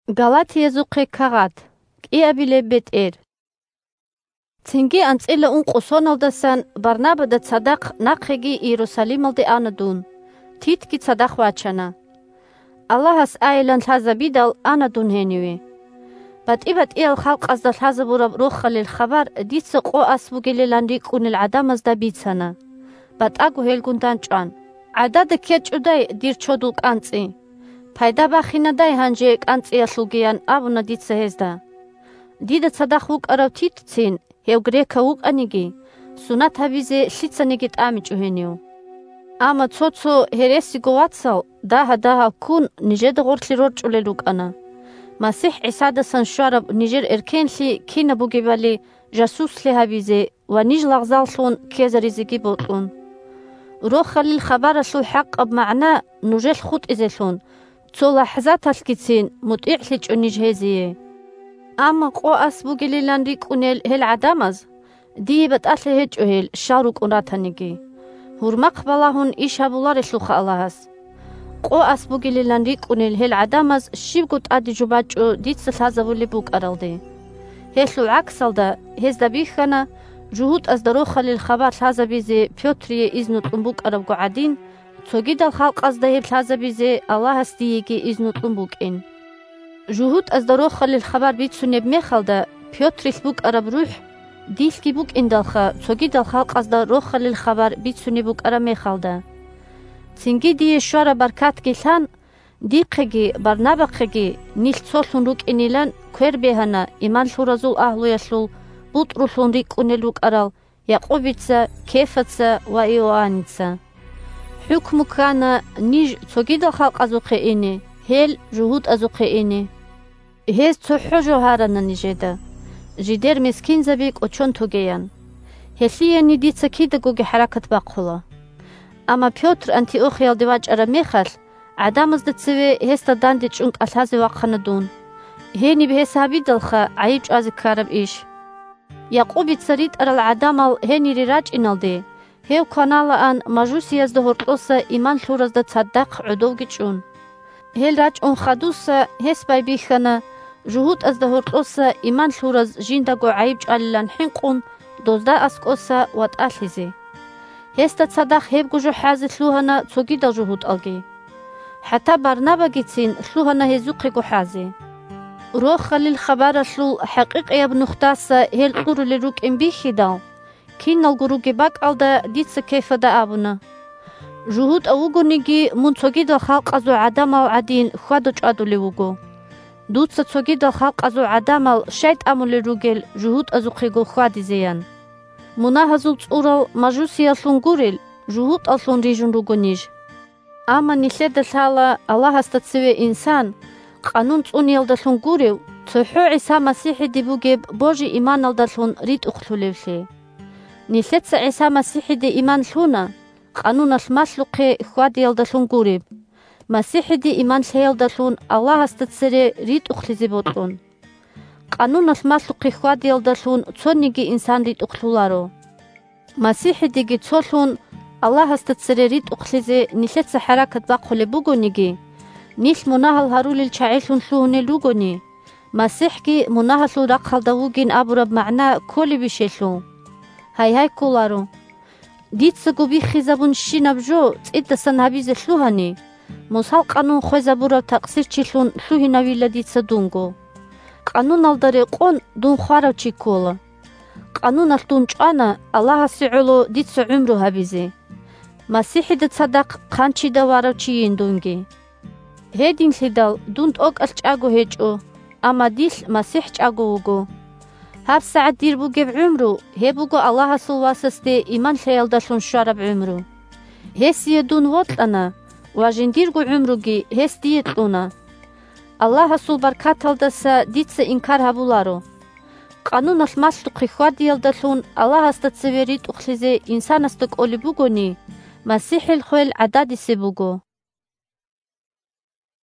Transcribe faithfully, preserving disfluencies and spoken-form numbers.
Галатиязухъе кагъат. КӀиабилеб бетӀер. Цинги анцӀила ункъо соналдасан Барнабада цадахъ нахъеги Иерусалималде ана дун. Титги цадахъ вачана. Аллагьас айилан лъазабидал ана дун гьениве. БатӀи-батӀиял халкъазда лъазабураб Рохалил хабар дица къо ас бугилилан рикӀкӀунел гӀадамазда бицана. БатӀаго гьелгун дандчӀван: «ГӀадада ккечӀодай дир чодул кӀанцӀи? Пайда бахинадай гьанже кӀанцӀиялъулги?» – ян абуна дица гьезда. Дида цадахъ вукӀарав Титцин, гьев грекав вукӀаниги, сунат гьабизе лъицаниги тӀамичӀо гьенив. Амма цо-цо гьересиго вацал дагьа-дагьал ккун нижеда гъорлъе рорчӀулел рукӀана. МасихӀ ГӀисадасан щвараб нижер эркенлъи кинаб бугебали жасуслъи гьабизе ва ниж лагъзаллъун ккезаризеги бокьун. Рохалил хабаралъул хӀакъаб магӀна нужелъ хутӀизелъун, цо лахӀзаталъгицин мутӀигӀлъичӀо ниж гьезие. Амма къо ас бугилилан рикӀкӀунел гьел гӀадамаз, дие батӀалъи гьечӀо гьел щал рукӀун ратаниги. Гьурмахъ балагьун иш гьабуларелъулха Аллагьас. Къо ас бугилилан рикӀкӀунел гьел гӀадамаз щибго тӀаде жо бачӀо дица лъазабулеб букӀаралде. Гьелъул гӀаксалда, гьезда бихьана, жугьутӀазда Рохалил хабар лъазабизе Пётрие изну кьун букӀарабго гӀадин, цогидал халкъазда гьеб лъазабизе Аллагьас диеги изну кьун букӀин. ЖугьутӀазда Рохалил хабар бицунеб мехалда, Пётрилъ букӀараб рухӀ дилъги букӀиндалха, цогидал халкъазда Рохалил хабар бицунеб букӀараб мехалда. Цинги дие щвараб баркатги лъан, дихъеги Барнабахъеги нилъ цолъун рукӀинилан квер бегьана иман лъуразул агьлуялъул БутӀрулъун рикӀкӀунел рукӀарал Якъубица, Кефаца ва Иоанница. ХӀукму ккана ниж цогидал халкъазухъе ине, гьел жугьутӀазухъе ине. Гьез цохӀо жо гьарана нижеда, жидер мискинзаби кӀочон тогеян. Гьелъие ни дица кидагоги хӀаракат бахъула. Амма Пётр Антиохиялде вачӀараб мехалъ, гӀадамазда цеве гьесда дандечӀун кӀалъазе вахъана дун. Гьениб гьес гьабидалха гӀайиб чӀвазе ккараб иш. Якъубица ритӀарал гӀадамал гьенире рачӀиналде, гьев кваналаан мажусиязда гьоркьоса иман лъуразда цадахъ гӀодовги чӀун. Гьел рачӀун хадуса гьес байбихьана, жугьутӀазда гьоркьоса иман лъураз жиндаго гӀайиб чӀвалилан хӀинкъун, дозда аскӀоса ватӀалъизе. Гьесда цадахъ гьебго жо хӀазе лъугьана цогидал жугьутӀалги. ХӀатта Барнабагицин лъугьана гьезухъего хӀазе. Рохалил хабаралъул хӀакъикъияб нухдаса гьел кьурулел рукӀин бихьидал, киналго ругеб бакӀалда дица Кефада абуна: «ЖугьутӀав вугониги, мун цогидал халкъазул гӀадамал гӀадин хьвада-чӀвадулев вуго. Дуца цогидал халкъазул гӀадамал щай тӀамулел ругел жугьутӀазухъего хьвадизеян? Мунагьазул цӀурал мажусияллъун гурел, жугьутӀаллъун рижун руго ниж». Амма нилъеда лъала Аллагьасда цеве инсан, къанун цӀуниялдалъун гурев, цохӀо ГӀиса МасихӀиде бугеб божи-иманалдалъун ритӀухълъулевлъи. Нилъеца ГӀиса МасихӀиде иман лъуна, къануналъ малъухъе хьвадиялдалъун гуреб, МасихӀиде иман лъеялдалъун Аллагьасда цере ритӀухълъизе бокьун. Къануналъ малъухъе хьвадиялдалъун цониги инсан ритӀухълъуларо. МасихӀидеги цолъун Аллагьасда цере ритӀухълъизе нилъеца хӀаракат бахъулеб бугониги, нилъ мунагьал гьарулел чагӀилъун лъугьунел ругони, МасихӀги мунагьалъул рахъалда вугин абураб магӀна кколебищ гьелъул? Гьайгьай, кколаро. Дицаго биххизабунщинаб жо цӀидасан гьабизе лъугьани, Мусал къанун хвезабурав такъсирчилъун лъугьинавила дица дунго. Къануналда рекъон дун хварав чи ккола. Къануналъ дун чӀвана Аллагьасе гӀоло дица гӀумру гьабизе. МасихӀида цадахъ хъанчида варав чийин дунги. Гьединлъидал дун тӀокӀалъ чӀаго гьечӀо, амма дилъ МасихӀ чӀаго вуго. ГьабсагӀат дир бугеб гӀумру, гьеб буго Аллагьасул Васасде иман лъеялдалъун щвараб гӀумру. Гьесие дун вокьана ва жиндирго гӀумруги гьес дие кьуна. Аллагьасул баркаталдаса дица инкар гьабуларо. Къануналъ малъухъе хьвадиялдалъун Аллагьасда цеве ритӀухълъизе инсанасда кӀолеб бугони, МасихӀил хвел гӀададисеб буго.